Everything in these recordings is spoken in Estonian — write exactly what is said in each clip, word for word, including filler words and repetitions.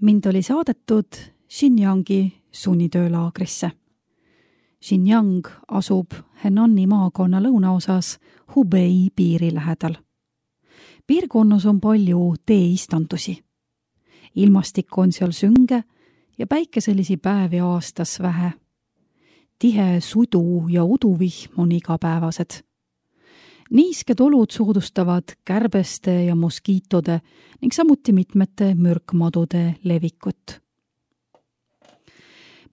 Mind oli saadetud Xinjiangi sunnitöölaagrisse. Xinjiang asub Henani maakonna lõunaosas Hubei piiri lähedal. Piirkonnas on palju teeistandusi. Ilmastik on seal sünge ja päikeselisi päevi aastas vähe. Tihe sudu ja uduvihm on igapäevased. Niisked olud soodustavad kärbeste ja moskiitode ning samuti mitmete mürkmadude levikut.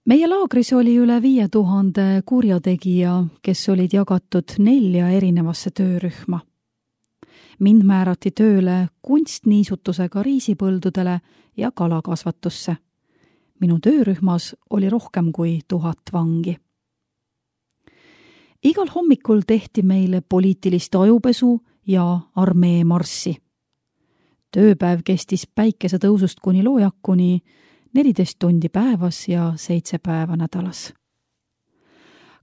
Meie laagris oli üle viie tuhande kurjategija, kes olid jagatud nelja erinevasse töörühma. Mind määrati tööle kunstniisutusega riisipõldudele ja kalakasvatusse. Minu töörühmas oli rohkem kui tuhat vangi. Igal hommikul tehti meile poliitilist ajupesu ja armee marssi. Tööpäev kestis päikese tõusust kuni loojakuni neliteist tundi päevas ja seitse päeva nädalas.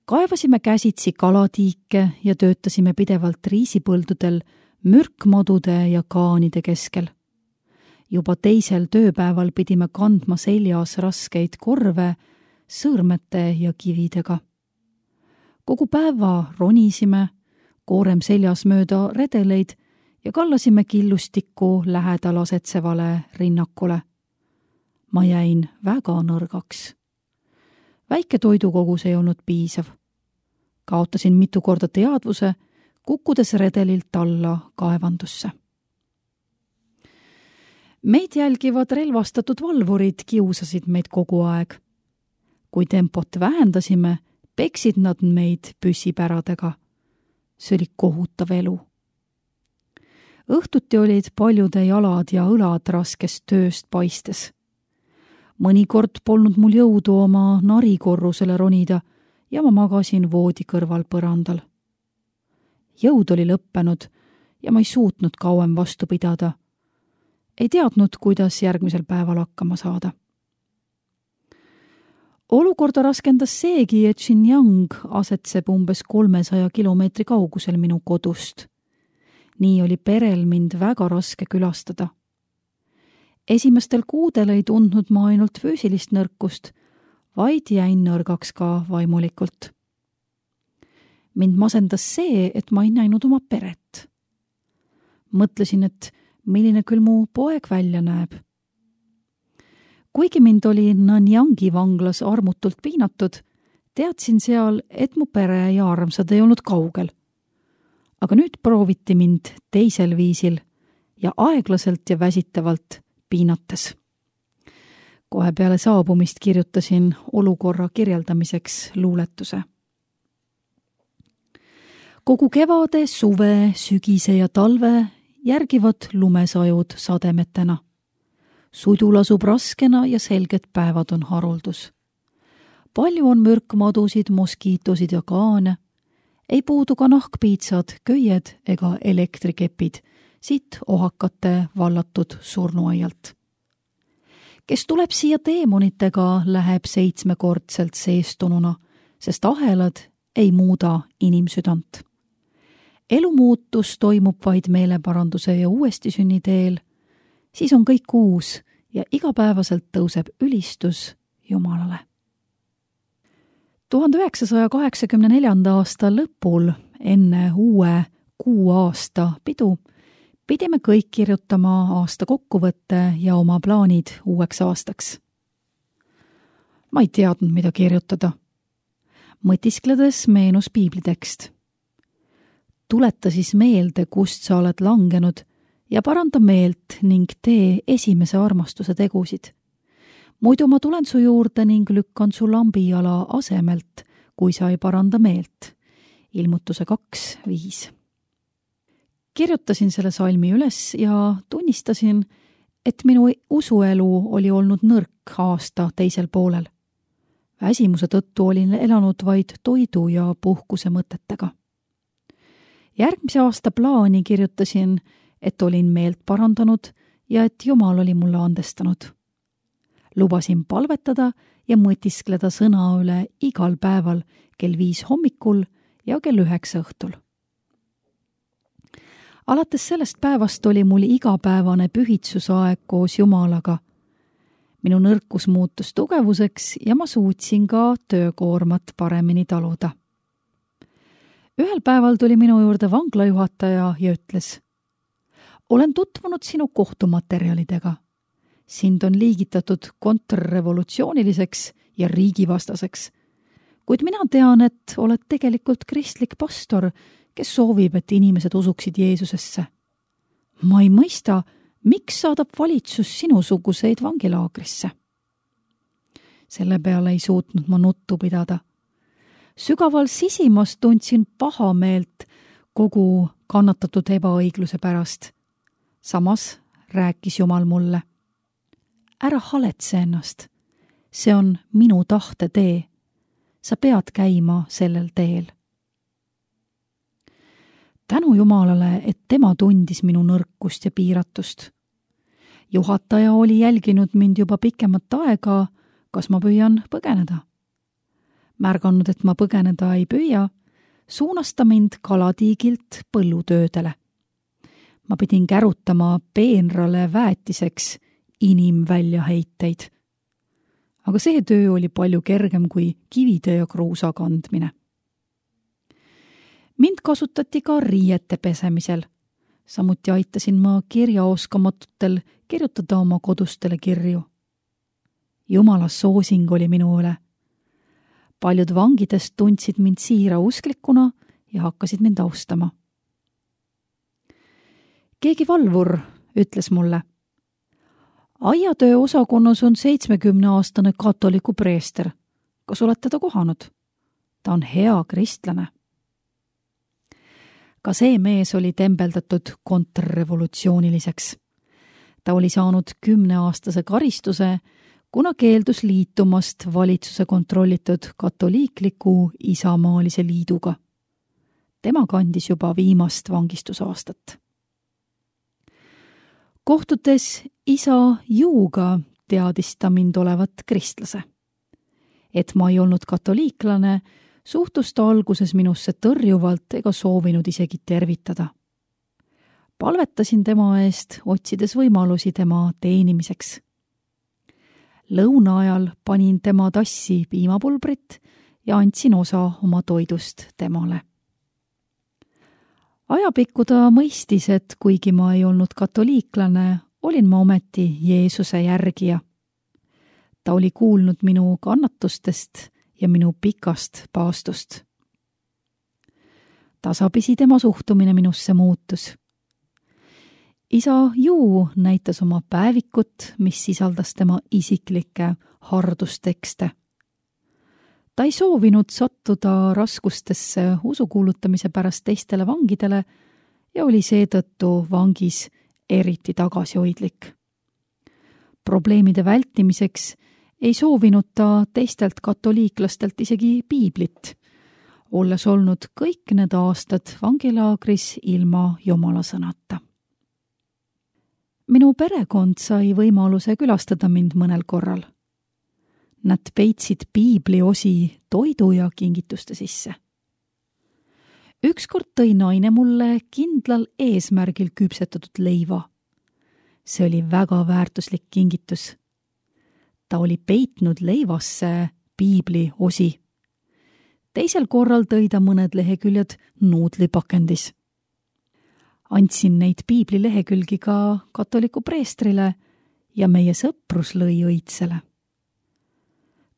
Kaevasime käsitsi kalatiike ja töötasime pidevalt riisipõldudel mürkmadude ja kaanide keskel. Juba teisel tööpäeval pidime kandma seljas raskeid korve sõõrmete ja kividega. Kogu päeva ronisime, koorem seljas mööda redeleid ja kallasime killustikku lähedal asetsevale rinnakule. Ma jäin väga nõrgaks. Väike toidukogus ei olnud piisav. Kaotasin mitu korda teadvuse, kukkudes redelilt alla kaevandusse. Meid jälgivad relvastatud valvurid kiusasid meid kogu aeg. Kui tempot vähendasime, peksid nad meid püssipäradega. See oli kohutav elu. Õhtuti olid paljude jalad ja õlad raskest tööst paistes. Mõnikord polnud mul jõudu oma narikorrusele ronida ja ma magasin voodi kõrval põrandal. Jõud oli lõppenud ja ma ei suutnud kauem vastu pidada. Ei teadnud, kuidas järgmisel päeval hakkama saada. Olukorda raskendas seegi, et Xinjiang asetseb umbes kolmesaja kilomeetri kaugusel minu kodust. Nii oli perel mind väga raske külastada. Esimestel kuudel ei tundnud ma ainult füüsilist nõrkust, vaid jäin nõrgaks ka vaimulikult. Mind masendas see, et ma ei näinud oma peret. Mõtlesin, et milline küll mu poeg välja näeb. Kuigi mind oli Nanyangi vanglas armutult piinatud, teadsin seal, et mu pere ja armsad ei olnud kaugel. Aga nüüd prooviti mind teisel viisil ja aeglaselt ja väsitavalt piinates. Kohe peale saabumist kirjutasin olukorra kirjeldamiseks luuletuse. Kogu kevade, suve, sügise ja talve järgivad lumesajud sademetena. Sudu lasub raskena ja selged päevad on haruldus. Palju on mürkmadusid, moskiitosid ja kaane. Ei puudu ka nahkpiitsad, köied ega elektrikepid, siit ohakate vallatud surnuaialt. Kes tuleb siia teemonitega, läheb seitsmekordselt seestununa, sest ahelad ei muuda inimsüdant. Elumuutus toimub vaid meeleparanduse ja uuestisünni teel, siis on kõik uus ja igapäevaselt tõuseb ülistus Jumalale. tuhande üheksasaja kaheksakümne neljanda aasta lõpul, enne uue kuu aasta pidu, pidime kõik kirjutama aasta kokkuvõtte ja oma plaanid uueks aastaks. Ma ei teadnud, mida kirjutada. Mõtiskledes meenus piiblitekst. Tuleta siis meelde, kust sa oled langenud ja paranda meelt ning tee esimese armastuse tegusid. Muidu ma tulen su juurde ning lükkan su lambijala asemelt, kui sa ei paranda meelt. Ilmutuse kaks viis. Kirjutasin selle salmi üles ja tunnistasin, et minu usuelu oli olnud nõrk aasta teisel poolel. Väsimuse tõttu olin elanud vaid toidu ja puhkuse mõtetega. Järgmise aasta plaani kirjutasin, et olin meelt parandanud ja et Jumal oli mulle andestanud. Lubasin palvetada ja mõtiskleda sõna üle igal päeval kell viis hommikul ja kell üheksa õhtul. Alates sellest päevast oli mul igapäevane pühitsusaeg koos Jumalaga. minu nõrkus muutus tugevuseks ja ma suutsin ka töökoormat paremini taluda. Ühel päeval tuli minu juurde vanglajuhataja ja ütles: olen tutvunud sinu kohtumaterjalidega. Sind on liigitatud kontrrevolutsiooniliseks ja riigivastaseks. Kuid mina tean, et oled tegelikult kristlik pastor, kes soovib, et inimesed usuksid Jeesusesse. Ma ei mõista, miks saadab valitsus sinusuguseid vangilaagrisse? Selle peale ei suutnud ma nuttu pidada. Sügaval sisimas tundsin paha meelt kogu kannatatud ebaõigluse pärast. Samas rääkis Jumal mulle: ära haletse ennast. See on minu tahte tee. Sa pead käima sellel teel. Tänu Jumalale, et tema tundis minu nõrkust ja piiratust. Juhataja oli jälginud mind juba pikemat aega, kas ma püüan põgeneda. Märganud, et ma põgeneda ei püüa, suunas ta mind kalatiigilt põllutöödele. Ma pidin kärutama peenrale väetiseks inimväljaheiteid. Aga see töö oli palju kergem kui kivide ja kruusa kandmine. Mind kasutati ka riiete pesemisel. Samuti aitasin ma kirjaoskamatutel kirjutada oma kodustele kirju. Jumala soosing oli minu üle. Paljud vangidest tundsid mind siira usklikuna ja hakkasid mind austama. Keegi valvur ütles mulle: aiatöö osakonnas on seitsmekümneaastane katoliku preester. Kas oled teda kohanud? Ta on hea kristlane. Ka see mees oli tembeldatud kontrrevolutsiooniliseks. Ta oli saanud kümneaastase karistuse, kuna keeldus liitumast valitsuse kontrollitud katoliikliku isamaalise liiduga. Tema kandis juba viimast vangistusaastat. Kohtudes isa Juuga teadis ta mind olevat kristlase. Et ma ei olnud katoliiklane, suhtus ta alguses minusse tõrjuvalt ega soovinud isegi tervitada. Palvetasin tema eest, otsides võimalusi tema teenimiseks. Lõuna ajal panin tema tassi piimapulbrit ja andsin osa oma toidust temale. Ajapikku ta mõistis, et kuigi ma ei olnud katoliiklane, olin ma ometi Jeesuse järgija. Ta oli kuulnud minu kannatustest ja minu pikast paastust. Tasapisi tema suhtumine minusse muutus. Isa Juu näitas oma päevikut, mis sisaldas tema isiklikke hardustekste. Ta ei soovinud sattuda raskustesse usukuulutamise pärast teistele vangidele ja oli seetõttu vangis eriti tagasihoidlik. Probleemide vältimiseks ei soovinud ta teistelt katoliiklastelt isegi piiblit, olles olnud kõik need aastad vangilaagris ilma Jumala sõnata. Minu perekond sai võimaluse külastada mind mõnel korral. Nad peitsid piibli osi toidu ja kingituste sisse. Ükskord tõi naine mulle kindlal eesmärgil küpsetatud leiva. See oli väga väärtuslik kingitus. Ta oli peitnud leivasse piibli osi. Teisel korral tõi ta mõned leheküljed nuudlipakendis. Andsin neid piibli lehekülgi ka katoliku preestrile ja meie sõprus lõi õitsele.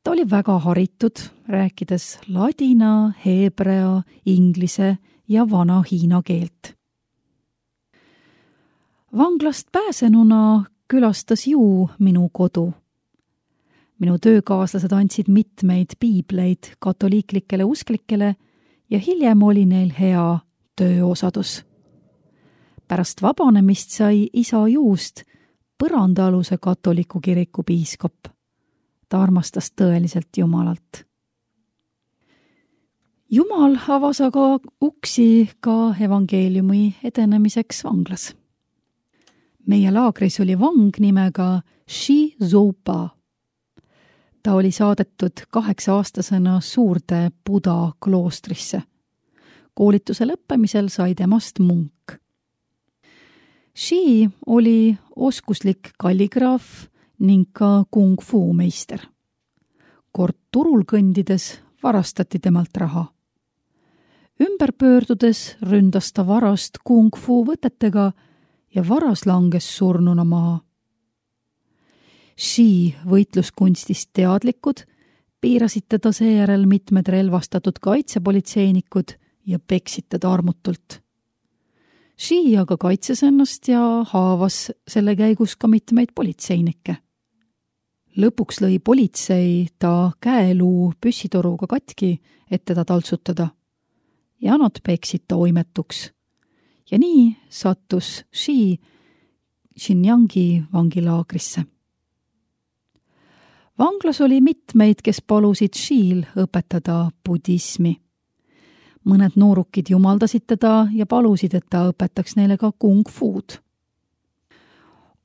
Ta oli väga haritud, rääkides ladina, heebrea, inglise ja vana hiina keelt. Vanglast pääsenuna külastas Juu minu kodu. Minu töökaaslased andsid mitmeid piibleid katoliiklikele usklikele ja hiljem oli neil hea tööosadus. Pärast vabanemist sai isa Juust põrandaaluse katoliku kiriku piiskop. Ta armastas tõeliselt Jumalalt. Jumal avas aga uksi ka evangeeliumi edenemiseks vanglas. Meie laagris oli vang nimega Shi Zoupa. Ta oli saadetud kaheksa-aastasena suurde Buda kloostrisse. Koolituse lõppemisel sai temast munk. Shi oli oskuslik kalligraaf ning ka kung fu meister. Kord turul kõndides varastati temalt raha. Ümber pöördudes ründas ta varast kung fu võtetega ja varas langes surnuna maha. Shi võitluskunstist teadlikud piirasid teda seejärel mitmed relvastatud kaitsepolitseinikud ja peksid teda armutult. Shi aga kaitses ennast ja haavas selle käigus ka mitmeid politseinikke. Lõpuks lõi politsei ta käeluu püssitoruga katki, et teda taltsutada, ja nad peksid ta oimetuks. Ja nii sattus Shi Xinjiangi vangilaagrisse. Vanglas oli mitmeid, kes palusid Shil õpetada budismi. Mõned noorukid jumaldasid teda ja palusid, et ta õpetaks neile ka kung fuud.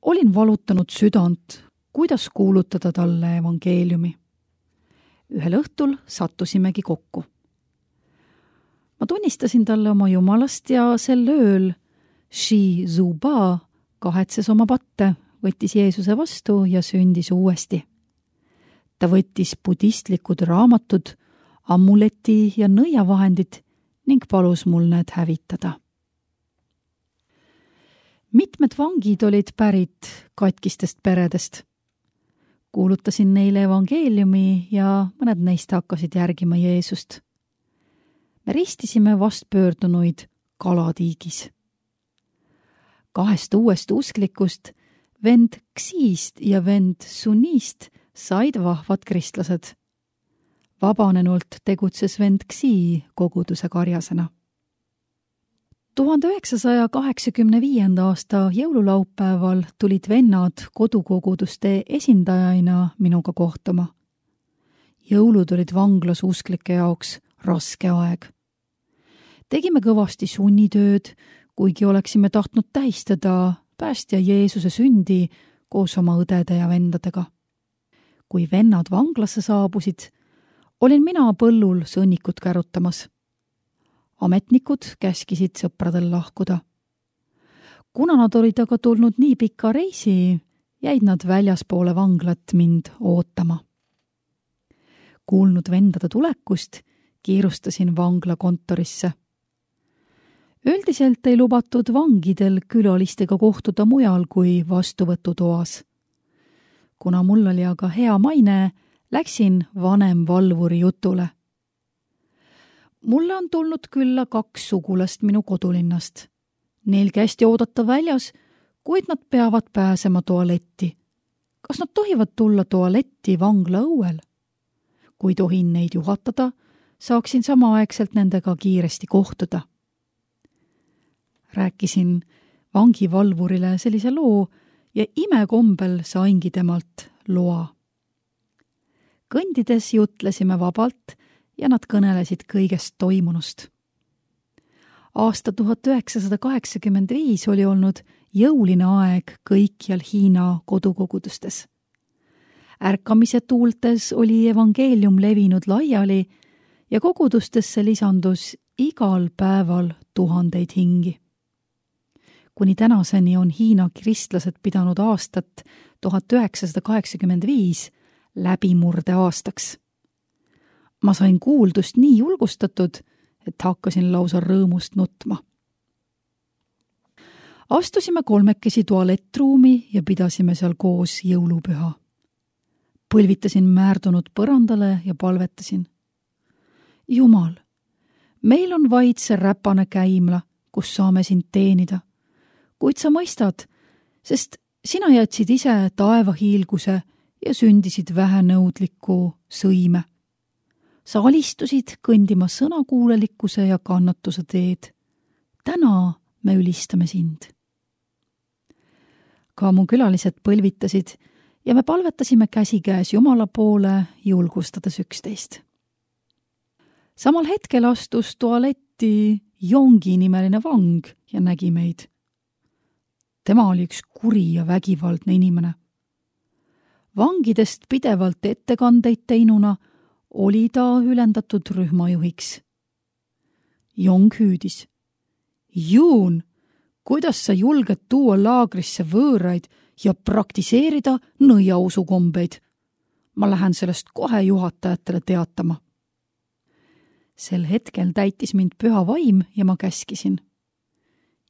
Olin valutanud südant, kuidas kuulutada talle evangeeliumi. Ühel õhtul sattusimegi kokku. Ma tunnistasin talle oma jumalast ja sel ööl Shi Zuba kahetses oma patte, võttis Jeesuse vastu ja sündis uuesti. Ta võttis budistlikud raamatud, amuleti ja nõiavahendid ning palus mul need hävitada. Mitmed vangid olid pärit katkistest peredest. Kuulutasin neile evangeeliumi ja mõned neist hakkasid järgima Jeesust. Me ristisime vastpöördunuid kalatiigis. Kahest uuest usklikust, vend Xist ja vend Sunist, said vahvad kristlased. Vabanenult tegutses vend Xi koguduse karjasena. tuhande üheksasaja kaheksakümne viienda aasta jõululaupäeval tulid vennad kodukoguduste esindajaina minuga kohtuma. Jõulud olid vanglas usklike jaoks raske aeg. Tegime kõvasti sunnitööd, kuigi oleksime tahtnud tähistada päästja Jeesuse sündi koos oma õdede ja vendadega. Kui vennad vanglasse saabusid, olin mina põllul sõnnikut kärutamas. Ametnikud käskisid sõpradel lahkuda. Kuna nad olid aga tulnud nii pika reisi, jäid nad väljaspoole vanglat mind ootama. Kuulnud vendade tulekust, kiirustasin vangla kontorisse. Üldiselt ei lubatud vangidel külalistega kohtuda mujal kui vastuvõtutoas. Kuna mul oli aga hea maine, läksin vanem valvuri jutule. Mulle on tulnud külla kaks sugulast minu kodulinnast. Neil kästi oodata väljas, kuid nad peavad pääsema tualetti. Kas nad tohivad tulla tualetti vangla õuel? Kui tohin neid juhatada, saaksin samaaegselt nendega kiiresti kohtuda. Rääkisin vangivalvurile sellise loo ja imekombel saingi temalt loa. Kõndides jutlesime vabalt ja nad kõnelesid kõigest toimunust. Aasta tuhat üheksasada kaheksakümmend viis oli olnud jõuline aeg kõikjal Hiina kodukogudustes. Ärkamise tuultes oli evangeelium levinud laiali ja kogudustesse lisandus igal päeval tuhandeid hingi. Kuni tänaseni on Hiina kristlased pidanud aastat tuhat üheksasada kaheksakümmend viis läbimurde aastaks. Ma sain kuuldust nii julgustatud, et hakkasin lausa rõõmust nutma. Astusime kolmekesi tualettruumi ja pidasime seal koos jõulupüha. Põlvitasin määrdunud põrandale ja palvetasin. Jumal, meil on vaid see räpane käimla, kus saame sind teenida, kuid sa mõistad, sest sina jätsid ise taevahiilguse ja sündisid vähenõudliku sõime. Sa alistusid kõndima sõnakuulelikkuse ja kannatuse teed. Täna me ülistame sind. Ka mu külalised põlvitasid ja me palvetasime käsikäes Jumala poole, julgustades üksteist. Samal hetkel astus tualetti Jongi nimeline vang ja nägi meid. Tema oli üks kuri ja vägivaldne inimene. Vangidest pidevalt ettekandeid teinuna oli ta ülendatud rühmajuhiks. Jong hüüdis. Juun, kuidas sa julged tuua laagrisse võõraid ja praktiseerida nõiausukombeid. Ma lähen sellest kohe juhatajatele teatama. Sel hetkel täitis mind püha vaim ja ma käskisin.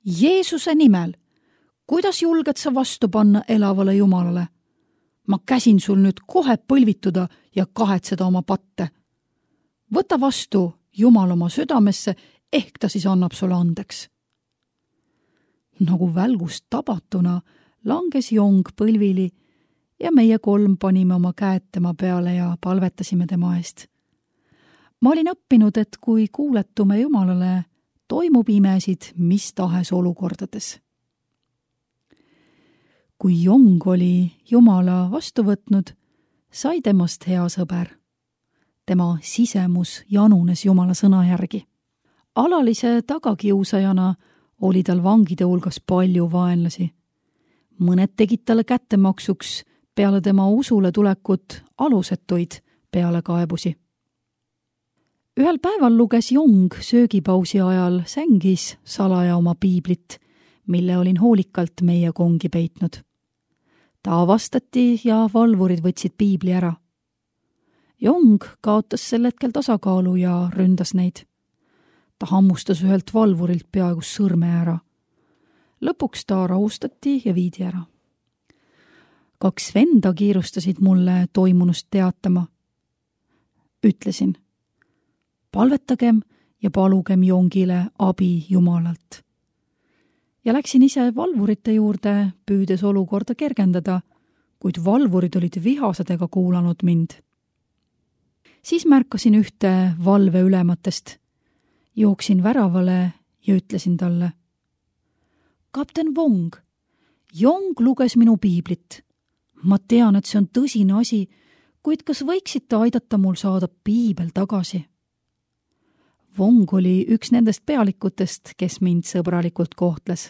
Jeesuse nimel, kuidas julged sa vastu panna elavale Jumalale? Ma käsin sul nüüd kohe põlvituda ja kahetseda oma patte. Võta vastu Jumal oma südamesse, ehk ta siis annab sulle andeks. Nagu välgust tabatuna langes Jong põlvili ja meie kolm panime oma käed tema peale ja palvetasime tema eest. Ma olin õppinud, et kui kuuletume Jumalale, toimub imesid mis tahes olukordades. Kui Jong oli Jumala vastu võtnud, sai temast hea sõber. Tema sisemus janunes Jumala sõna järgi. Alalise tagakiusajana oli tal vangide hulgas palju vaenlasi. Mõned tegid talle kättemaksuks peale tema usule tulekut alusetuid pealekaebusi. Ühel päeval luges Jong söögipausi ajal sängis salaja oma piiblit, mille olin hoolikalt meie kongi peitnud. Ta avastati ja valvurid võtsid piibli ära. Jong kaotas sel hetkel tasakaalu ja ründas neid. Ta hammustas ühelt valvurilt peaaegu sõrme ära. Lõpuks ta rahustati ja viidi ära. Kaks venda kiirustasid mulle toimunust teatama. Ütlesin, palvetagem ja palugem Jongile abi Jumalalt. Ja läksin ise valvurite juurde, püüdes olukorda kergendada, kuid valvurid olid vihased ega kuulanud mind. Siis märkasin ühte valve ülematest. Jooksin väravale ja ütlesin talle. Kapten Wong, Jong luges minu piiblit. Ma tean, et see on tõsine asi, kuid kas võiksite aidata mul saada piibel tagasi? Wong oli üks nendest pealikutest, kes mind sõbralikult kohtles.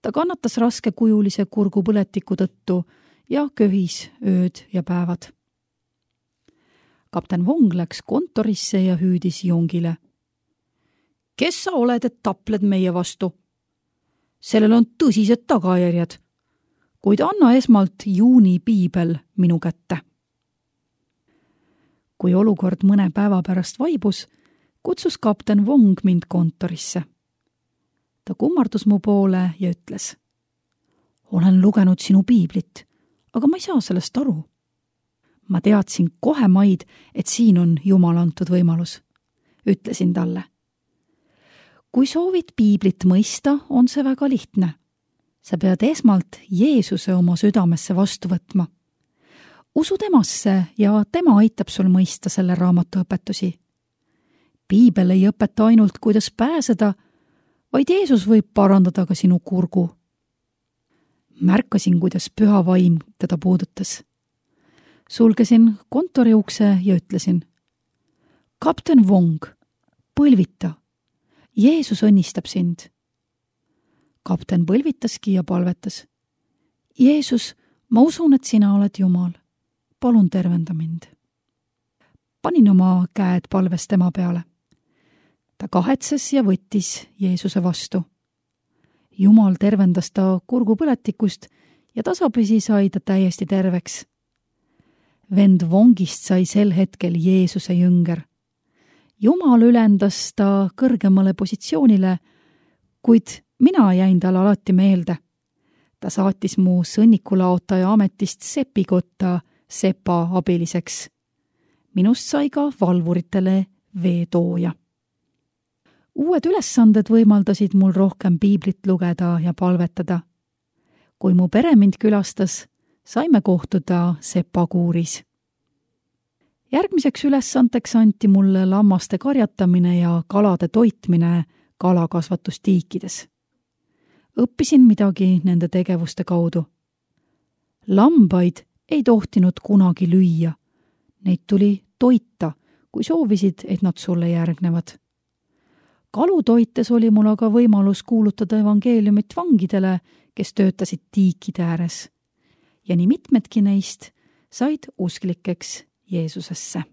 Ta kannatas raskekujulise kurgupõletiku tõttu ja köhis ööd ja päevad. Kapten Wong läks kontorisse ja hüüdis Jongile. Kes sa oled, et tapled meie vastu? Sellel on tõsised tagajärjed, kuid anna esmalt juuni piibel minu kätte. Kui olukord mõne päeva pärast vaibus, kutsus kapten Wong mind kontorisse. Ta kummardus mu poole ja ütles. Olen lugenud sinu piiblit, aga ma ei saa sellest aru. Ma teadsin kohe maid, et siin on Jumal antud võimalus. Ütlesin talle. Kui soovid piiblit mõista, on see väga lihtne. Sa pead esmalt Jeesuse oma südamesse vastu võtma. Usu temasse ja tema aitab sul mõista selle raamatu õpetusi. Piibel ei õpeta ainult, kuidas pääseda, vaid Jeesus võib parandada ka sinu kurgu. Märkasin, kuidas püha vaim teda puudutas. Sulgesin kontori ukse ja ütlesin. Kapten Wong, põlvita. Jeesus õnnistab sind. Kapten põlvitaski ja palvetas. Jeesus, ma usun, et sina oled Jumal. Palun tervenda mind. Panin oma käed palves tema peale. Ta kahetses ja võttis Jeesuse vastu. Jumal tervendas ta kurgupõletikust ja tasapisi sai ta täiesti terveks. Vend Wongist sai sel hetkel Jeesuse jünger. Jumal ülendas ta kõrgemale positsioonile, kuid mina jäin talle alati meelde. Ta saatis mu sõnnikulaotaja ametist sepikotta sepa abiliseks. Minust sai ka valvuritele veetooja. Uued ülesanded võimaldasid mul rohkem piiblit lugeda ja palvetada. Kui mu pere mind külastas, saime kohtuda sepakuuris. Järgmiseks ülesandeks anti mulle lammaste karjatamine ja kalade toitmine kalakasvatustiikides. Õppisin midagi nende tegevuste kaudu. Lambaid ei tohtinud kunagi lüüa. Neid tuli toita, kui soovisid, et nad sulle järgnevad. Kalutoites oli mul aga võimalus kuulutada evangeeliumit vangidele, kes töötasid tiikide ääres. Ja nii mitmedki neist said usklikeks Jeesusesse.